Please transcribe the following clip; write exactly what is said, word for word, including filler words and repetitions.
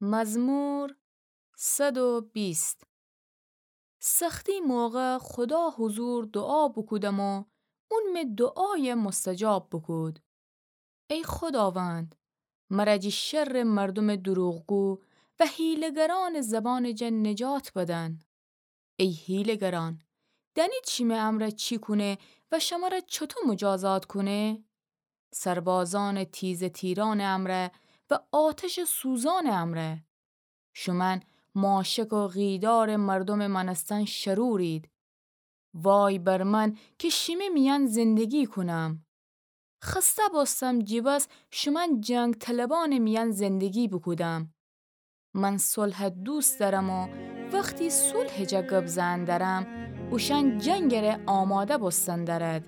مزمور صد و بیست. سختی موقع خودا حضور دوعا بوکودم و اون می دوعای مستجاب بوکود. ای خوداوند، مر جی شر مردم دروغگو و حیله‌گران زبان جا نجات بدن. ای حیله‌گران، دنید شیمه امرأ چی کونه و شمره چوطو مجازات کونه؟ سربازان تیزه تیران امرأ و آتش سوزان امرأ. شومأن ماشک و غیدار مردم مأنستن شرورید. وای بر من که شیمه میأن زندگی کونم. خسته بوستم جی بس شومأن جنگ طلبان میأن زندگی بوکودم. من صلح دوست دأرم و وختی صلح جا گب زئن دأرم، اوشأن جنگٚ ره آماده بوستن دأرد.